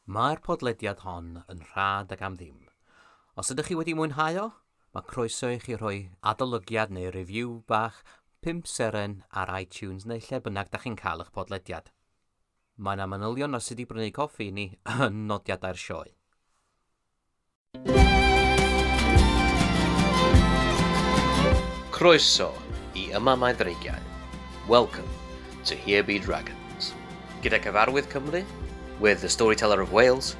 Mae'r podlediad hon yn rhad ac am ddim. Os ydych chi wedi mwynhau o, mae croeso i chi rhoi adolygiad neu review bach 5 seren ar iTunes neu lle bynnag da chi'n cael eich podlediad. Mae yna manylion ar sut i brynu coffi i ni yn nodiadau'r sioe. Croeso i Yma Mae Dreigiau. Welcome to Here Be Dragons. Gyda Cyfarwydd Cymru, with the Storyteller of Wales,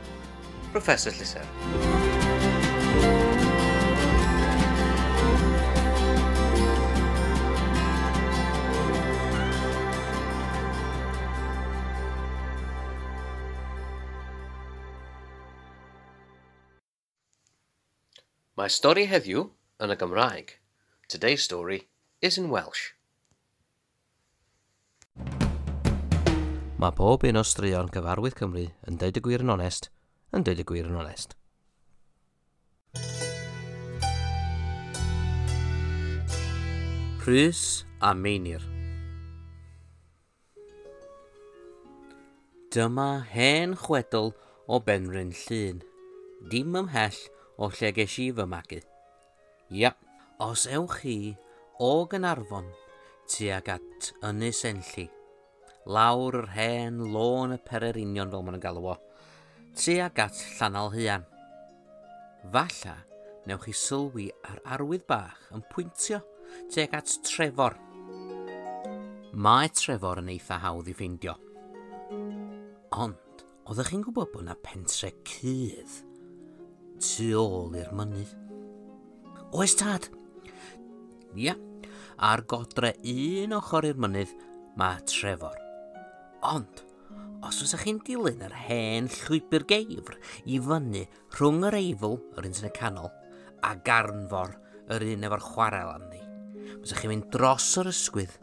Professor Llusern. Mae stori heddiw yn y Gymraeg. Today's story is in Welsh. Mae pob un o straeon Cyfarwydd Cymru yn deud y gwir yn onest, yn deud y gwir yn onest. Rhys a Meinir. Dyma hen chwedl o Benrhyn Llŷn, dim ymhell o lle ges i fy magu. Ia, os ewch chi o Gaernarfon tuag at Ynys Enlli, lawr yr hen lôn y pererinion fel maen nhw'n galw o, tuag at Llanalhuan. Falla, newch chi sylwi ar arwydd bach yn pwyntio tuag at Trefor. Mae Trefor yn eitha hawdd i ffeindio. Ond, oeddech chi'n gwybod bod yna pentre cudd tu ôl i'r mynydd? Oes tad? Ia, ar godre un ochr i'r mynydd mae Trefor. Ond, os fysa chi'n dilyn yr hen llwybr geifr i fyny rhwng yr Eifl, yr un sy'n y canol, a Garnfor, yr un efo'r chwarel arni, fysa chi'n mynd dros yr ysgwydd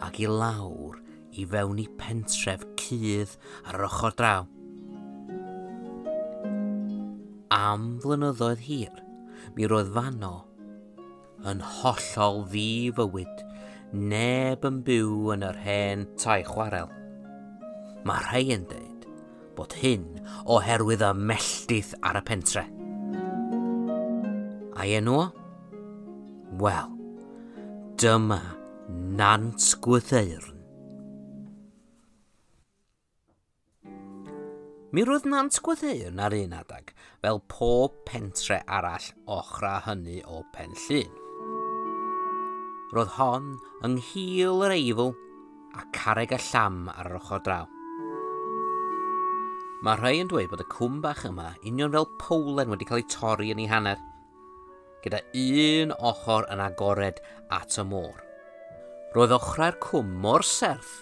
ac i lawr i fewn i pentref cudd ar yr ochr draw. Am flynyddoedd hir, mi roedd fanno yn hollol ddi-fywyd, neb yn byw yn yr hen tai chwarel. Mae rhai yn dweud bod hyn oherwydd y melltith ar y pentre. A'i enw o? Wel, dyma Nant Gwrtheyrn. Mi roedd Nant Gwrtheyrn ar un adeg, fel pob pentre arall ochra hynny o Pen Llŷn. Roedd hon yng nghil yr Eifl a carreg y llam ar yr ochr draw. Mae rhai yn dweud bod y cwm bach yma union fel powlen wedi cael ei torri yn ei hanner, gyda un ochr yn agored at y môr. Roedd ochrau'r cwm mor serth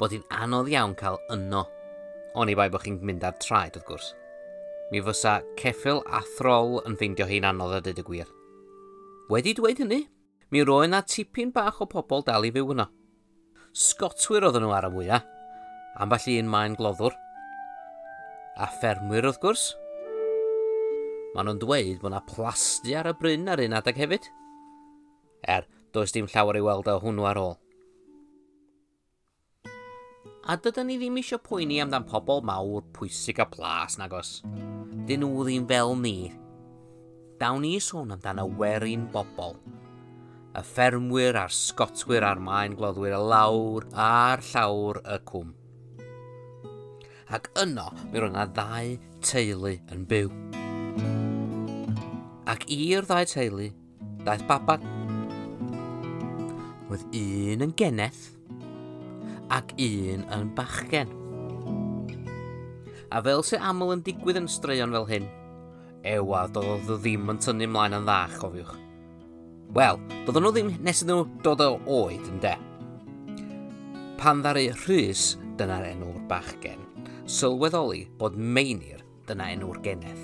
bod hi'n anodd iawn cael yno, oni bai bod chi'n mynd ar traed wrth gwrs. Mi fysa ceffyl a throl yn ffeindio hi'n anodd a dweud y gwir. Wedi dweud hynny, mi roedd 'na tipyn bach o pobl dal i fyw yno. Sgotwyr oedden nhw ar y mwyaf, ambell un maen gloddwr, a ffermwyr wrth gwrs. Maen nhw'n dweud bod yna plasty ar y bryn ar un adeg hefyd. Er, does dim llawer i weld o hwnnw ar ôl. A dydyn ni ddim eisiau poeni amdan pobl mawr pwysig a plas, nagos. Dyn nhw ddim fel ni. Dawn ni sôn amdan y werin bobl. Y ffermwyr a'r sgotwyr a'r maen gloddwyr y lawr a'r llawr y cwm. Ac yno, mi roedd yna ddau teulu yn byw. Ac i'r ddau teulu, daeth baban. Roedd un yn geneth ac un yn bachgen. A fel sy'n aml yn digwydd yn straeon fel hyn, ewa, doedd o ddim yn tynnu ymlaen yn dda, chofiwch. Wel, doedden nhw ddim nes iddyn nhw dod o oed, ynde. Pan ddaru Rhys, dyna'r enw'r bachgen, sylweddoli bod Meinir, dyna enw'r geneth,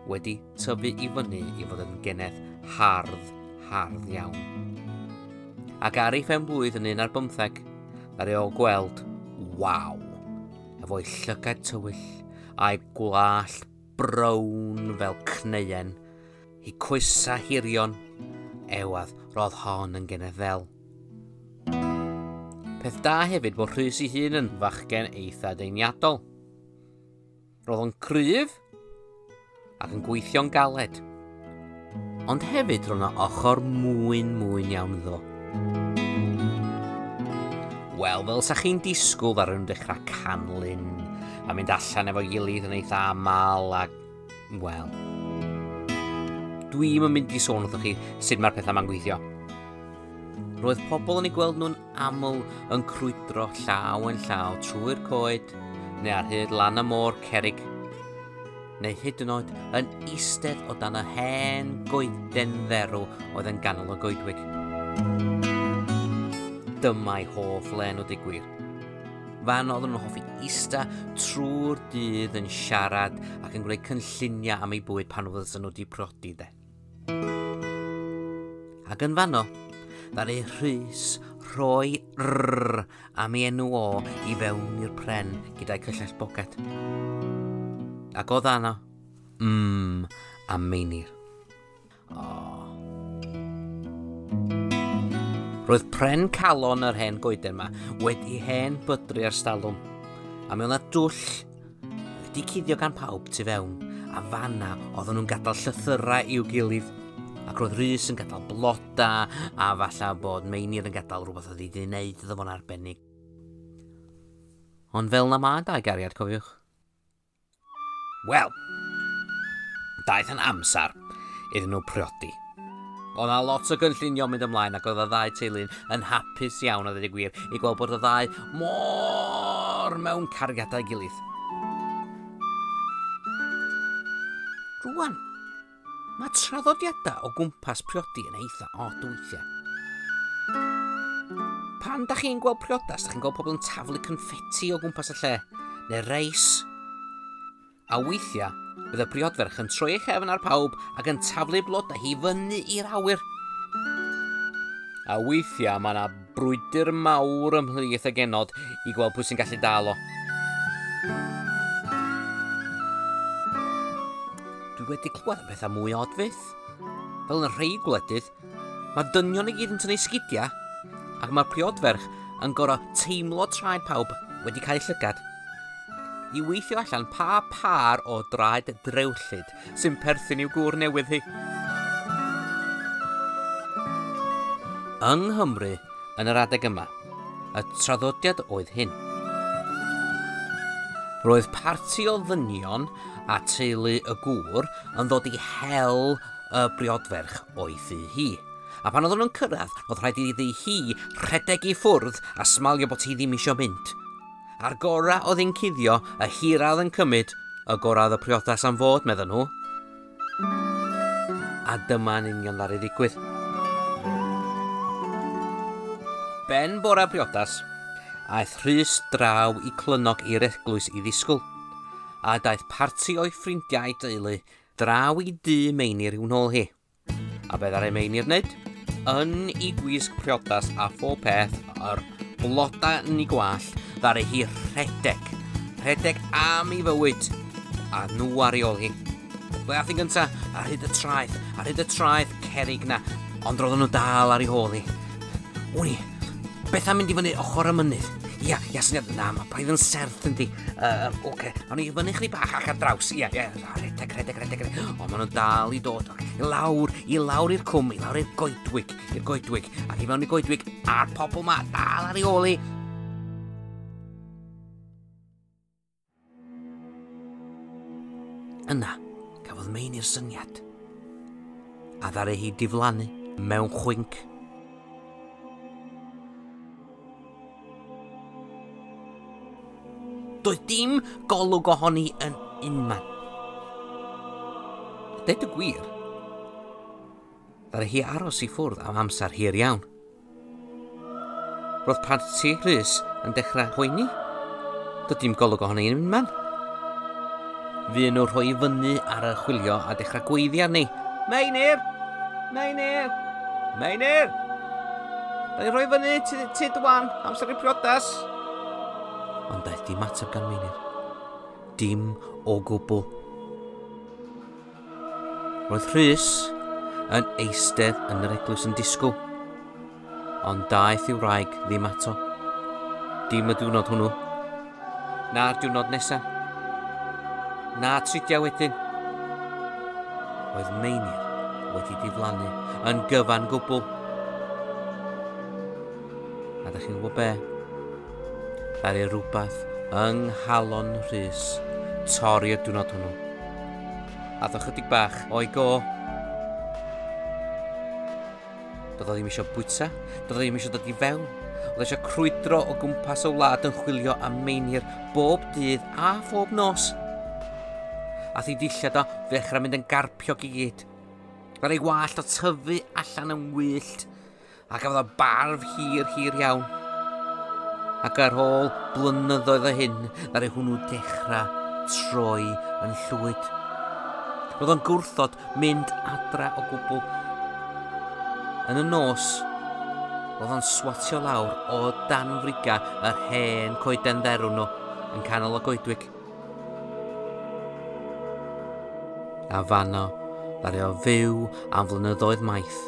wedi tyfu i fyny i fod yn geneth hardd, hardd iawn. Ac ar ei phen blwydd yn 11, ddaru o gweld, waw, efo'i llygaid tywyll a'i gwallt brown fel cneuen, hi coesa hirion, ewadd, roedd hon yn geneth ddel. Peth da hefyd bod Rhys ei hun yn fachgen eitha deiniadol. Roedd o'n cryf ac yn gweithio'n galed. Ond hefyd roedd yna ochr mwyn mwyn iawn iddo. Wel, fel sa chi'n disgwyl ddaru nhw dechrau canlyn a mynd allan efo'i gilydd yn eitha aml a... Wel... Dwi'm yn mynd i sôn wrthych chi sut mae'r pethau ma'n gweithio. Roedd pobl yn eu gweld nhw'n aml yn crwydro llaw yn llaw trwy'r coed neu ar hyd lan y môr cerrig, neu hyd yn oed yn eistedd o dan y hen goeden dderw oedd yn ganol y goedwig. Dyma'i hoff le nhw, deud gwir. Fan oedden nhw'n hoffi ista trwy'r dydd yn siarad ac yn gwneud cynlluniau am eu bwyd pan fydden nhw wedi priodi de. Ac yn fanno, ddaru Rhys rhoi rrr am ei enw o i fewn i'r pren gyda'i cyllell boced. Ac o ddanno, am Meinir. Oh. Roedd pren calon yr hen goeden yma wedi hen bydru ar stalwm, a mi oedd 'na dwll wedi cuddio gan pawb tu fewn, a fanna oedden nhw'n gadael llythyrau i'w gilydd. Ac roedd Rhys yn gadael bloda, a falla bod Meinir yn gadael rhywbeth oedd wedi wneud iddo fo'n arbennig. Ond fel na ma dau gariad, cofiwch. Wel, daeth yn amser iddyn nhw priodi. Oedd 'na lot o gynllunio mynd ymlaen ac oedd y ddau teulu yn hapus iawn a dweud y gwir i gweld bod y ddau mor mewn cariad â'i gilydd. Rwan, mae traddodiadau o gwmpas priodi yn eitha od weithiau. Pan da chi'n gweld priodas, da chi'n gweld pobl yn taflu confetti o gwmpas y lle, neu reis. A weithiau, bydd y briodferch yn troi ei chefn ar pawb ac yn taflu blodau hi fyny i'r awyr. A weithiau mae yna brwydr mawr ymhlith y genod i gweld pwy sy'n gallu dal o. Dwi wedi clywed am pethau mwy od fyth. Fel yn rhai gwledydd, mae dynion i gyd yn tynnu sgidiau ac mae'r priodferch yn gorfod teimlo traed pawb wedi cael eu llygad i weithio allan pa par o draed drewllyd sy'n perthyn i'w gŵr newydd hi. Yng Nghymru, yn yr adeg yma, y traddodiad oedd hyn. Roedd parti o ddynion a teulu y gŵr yn ddod i hel y briodferch o'i thŷ hi. A pan oedden nhw'n cyrraedd, roedd rhaid iddi hi rhedeg i ffwrdd a smalio bod hi ddim eisiau mynd. A'r gorau oedd hi'n cuddio, y hira oedd yn cymryd, y gorau oedd y priodas am fod, medden nhw. A dyma'n union ddaru ddigwydd. Ben bora priodas, aeth Rhys draw i Clynnog i'r eglwys i ddisgwyl, a daeth parti o'i ffrindiau a'i deulu draw i dŷ Meinir i'w nôl hi. A be ddaru Meinir wneud? Yn ei gwisg priodas a phob peth, yr blodau yn ei gwallt, ddaru hi rhedeg. Rhedeg am ei fywyd, a nhw ar ei ôl hi. Ble ath hi gynta? Ar hyd y traeth, ar hyd y traeth cerrig na, ond roedden nhw dal ar ei hôl hi. Wn i, beth am mynd i fyny ochr y mynydd? Ia, ia, syniad, na, mae braidd yn serth yndi. Oce, awn ni i fyny chydig bach ac ar draws. Ia, ia, rhedeg, rhedeg, rhedeg, rhedeg. O, maen nhw'n dal i dod. Oce, i lawr, i lawr i'r cwm, i lawr i'r goedwig, i'r goedwig, ac i mewn i goedwig, a'r pobl ma dal ar ei ôl hi. Yna, cafodd Meinir syniad, a ddaru hi diflannu mewn chwinc. Doedd dim golwg ohoni yn unman. A deud y gwir, ddaru hi aros i ffwrdd am amser hir iawn. Roedd parti Rhys yn dechrau poeni. Doedd dim golwg ohoni yn unman. Fuon nhw rhoi i fyny ar y chwilio a dechrau gweiddi arni. Meinir! Meinir! Meinir! Da ni'n rhoi fyny, tyd wan, amser i priodas. Ond daeth dim ateb gan Meinir. Dim o gwbl. Roedd Rhys yn eistedd yn yr eglwys yn disgwyl, ond daeth i'w wraig ddim ato. Dim y diwrnod hwnnw, na'r diwrnod nesaf. Na tridiau wedyn. Oedd Meinir wedi diflannu yn gyfan gwbl. A da chi'n gwybod be? Ddaru rhywbeth yng nghalon Rhys torri y diwrnod hwnnw. A ddo chydig bach o'i go. Doedd o ddim eisiau bwyta, doedd o ddim eisiau dod i fewn. Oedd eisiau crwydro o gwmpas y wlad yn chwilio am Meinir bob dydd a phob nos. A thi dillad o ddechrau mynd yn garpiog i gyd. Roedd ei wallt o tyfu allan yn wyllt, a gafodd o barf hir, hir iawn. Ac ar ôl blynyddoedd o hyn, ddaru hwnnw dechrau troi yn llwyd. Roedd o'n gwrthod mynd adra o gwbl. Yn y nos, roedd o'n swatio lawr o dan friga yr hen coeden dderw nhw yn canol y goedwig. A fanno, ddaru o fyw am flynyddoedd maith.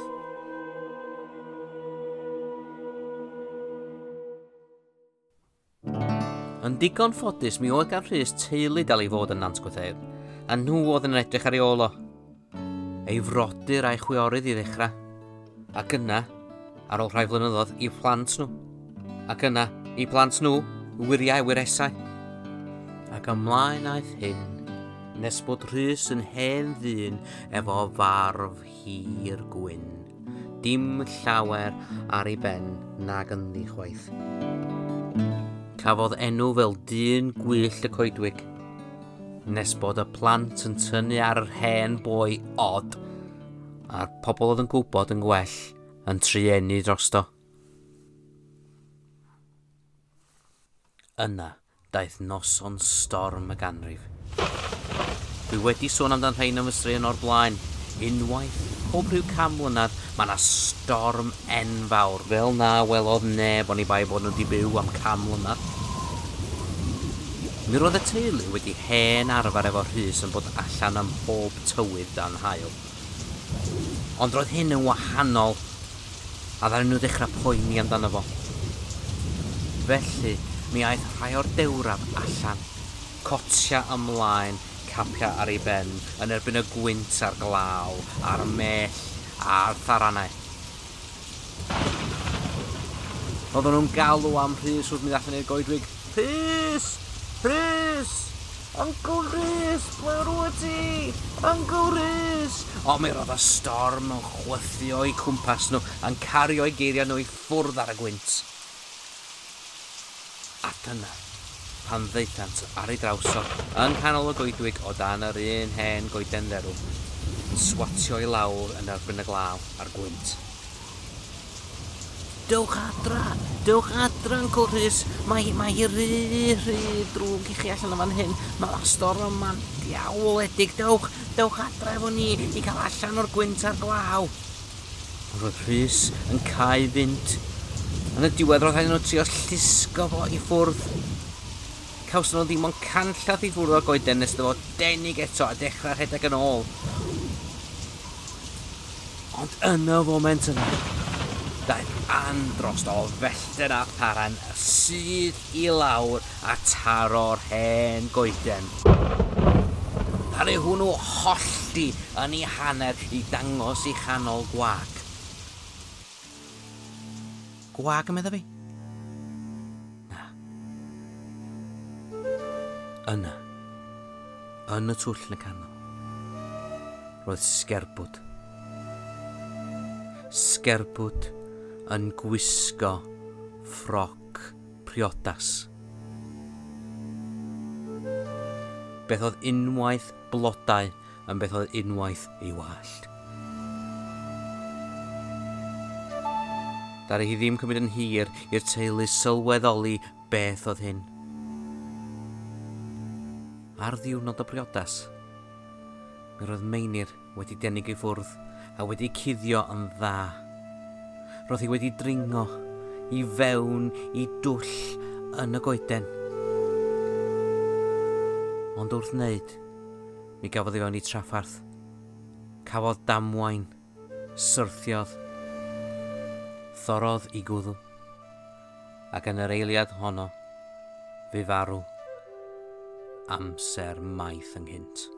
Yn digon ffodus, mi oedd gan Rhys teulu dal i fod yn Nant Gwrtheyrn, a nhw oedd yn edrych ar ei ôl o. Ei frodyr a'i chwiorydd i ddechrau, ac yna, ar ôl rhai flynyddoedd, i plant nhw. Ac yna, i plant nhw, wyriau wyresau. Ac ymlaen aeth hyn, nes bod Rhys yn hen ddyn efo farf hir gwyn. Dim llawer ar ei ben nag ynddi chwaith. Cafodd enw fel dyn gwyllt y coedwig, nes bod y plant yn tynnu ar yr hen boi od, a'r pobl oedd yn gwybod yn gwell yn trueni drosto. Yna daeth noson storm y ganrif. Dwi wedi sôn amdan rhain yn fy straeon o'r blaen. Unwaith, pob rhyw 100 mlynedd, mae yna storm enfawr, fel na welodd neb oni bai bod nhw wedi byw am 100 mlynedd. Mi roedd y teulu wedi hen arfer efo Rhys yn bod allan am bob tywydd dan haul. Ond roedd hyn yn wahanol, a ddaru nhw ddechrau poeni amdano fo. Felly, mi aeth rhai o'r dewraf allan, cotia ymlaen, capia ar ei ben, yn erbyn y gwynt a'r glaw, a'r mell, a'r tharanau. Oedden nhw'n galw am Rhys wrth mynd allan i'r goedwig. Rhys! Rhys! Uncle Rhys, ble rwyt ti? Uncle Rhys! O, mi roedd y storm yn chwythu o'i cwmpas nhw, yn cario'i geiriau nhw i ffwrdd ar y gwynt. A dyna, pan ddaethant ar ei draws o, yng nghanol y goedwig o dan yr un hen goeden dderw, yn swatio i lawr yn erbyn y glaw a'r gwynt. Dewch adra, dewch adra, Uncle Rhys. Mae hi rhy, rhy drwg i chi allan o fan hyn. Mae'r storm yma'n diawledig. Dewch, dewch adra efo ni i cael allan o'r gwynt a'r glaw. Ond roedd Rhys yn cau fynd. Yn y diwedd roedd rhaid nhw trio llusgo fo i ffwrdd. Cawson nhw ddim ond canllath i ffwrdd o'r goeden nes iddo fo denig eto a dechrau rhedeg yn ôl. Ond yn y foment yna, daeth andros o fellten a tharan syth i lawr a taro'r hen goeden. Ddaru hwnnw hollti yn ei hanner i dangos ei chanol gwag. Gwag yn meddwl fi? Na. Yna, yn y twll yn y canol, roedd sgerbwd. Sgerbwd yn gwisgo ffroc priodas. Beth oedd unwaith blodau yn beth oedd unwaith ei wallt. Ddaru hi ddim cymryd yn hir i'r teulu sylweddoli beth oedd hyn. Ar ddiwrnod y briodas, mi roedd Meinir wedi denig ei ffwrdd a wedi cuddio yn dda. Roedd hi wedi dringo i fewn i dwll yn y goeden. Ond wrth wneud, mi gafodd ei fewn i traffarth. Cafodd damwain, syrthiodd, thorodd i gwddw, ac yn yr eiliad honno, fe farw. amser maith ynghynt.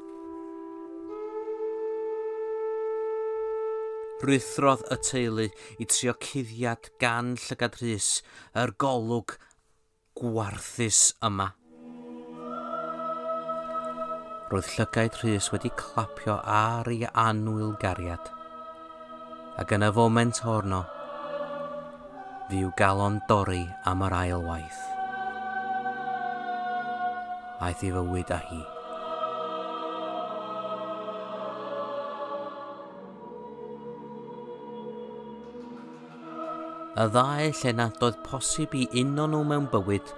Rhuthrodd y teulu i trio cuddiad gan llygad Rhys yr golwg gwarthus yma. Roedd llygaid Rhys wedi clapio ar ei annwyl gariad, ac yn y foment honno, fu i'w galon dorri am yr ail waith. Aeth ei fywyd â hi. Y ddau lle nad oedd posib i uno nhw mewn bywyd,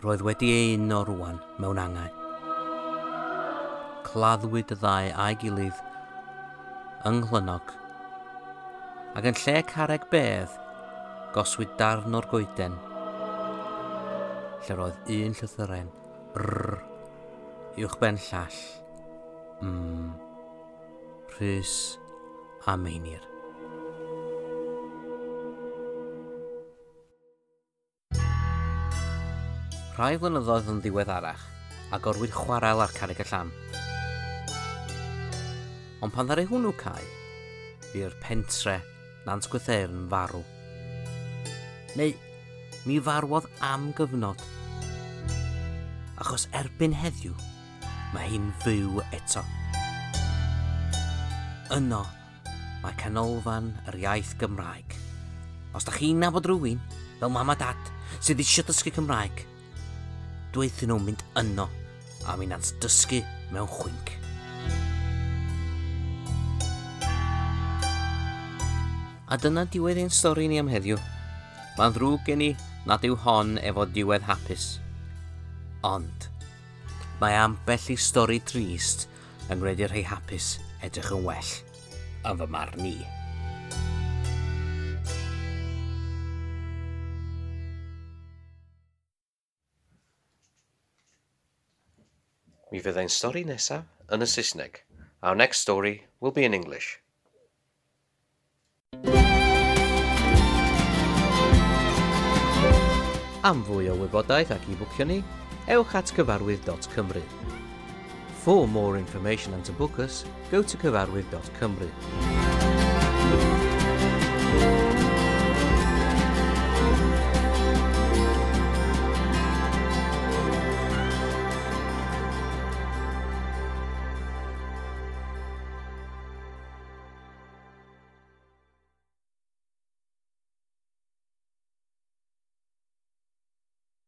roedd wedi ei uno rwan mewn angau. Claddwyd y ddau a'i gilydd yng Nghlynnog, ac yn lle carreg bedd, goswyd darn o'r goeden, lle roedd un llythyren, R, uwchben llall, M, Rhys a Meinir. Rhai flynyddoedd yn ddiweddarach, agorwyd chwarel ar Carreg y Llam. Ond pan ddaru hwnnw cau, fu'r pentre Nant Gwrtheyrn farw. Neu, mi farwodd am gyfnod. Achos erbyn heddiw, mae hi'n fyw eto. Yno, mae Canolfan yr Iaith Gymraeg. Os da chi'n nabod rhywun, fel mam a dad, sydd eisiau dysgu Cymraeg, dweud nhw mynd yno, a mi nant dysgu mewn chwinc. A dyna diwedd ein stori ni am heddiw. Mae'n ddrwg gen i nad yw hon efo diwedd hapus. Ond, mae ambell i stori trist yn gwneud i'r rhai hapus edrych yn well, yn fy marn i. Mi fydd ein stori nesaf yn y Saesneg. Our next story will be in English. Am fwy o wybodaeth ac i bwcio ni, ewch at cyfarwydd.cymru. For more information and to book us, go to cyfarwydd.cymru.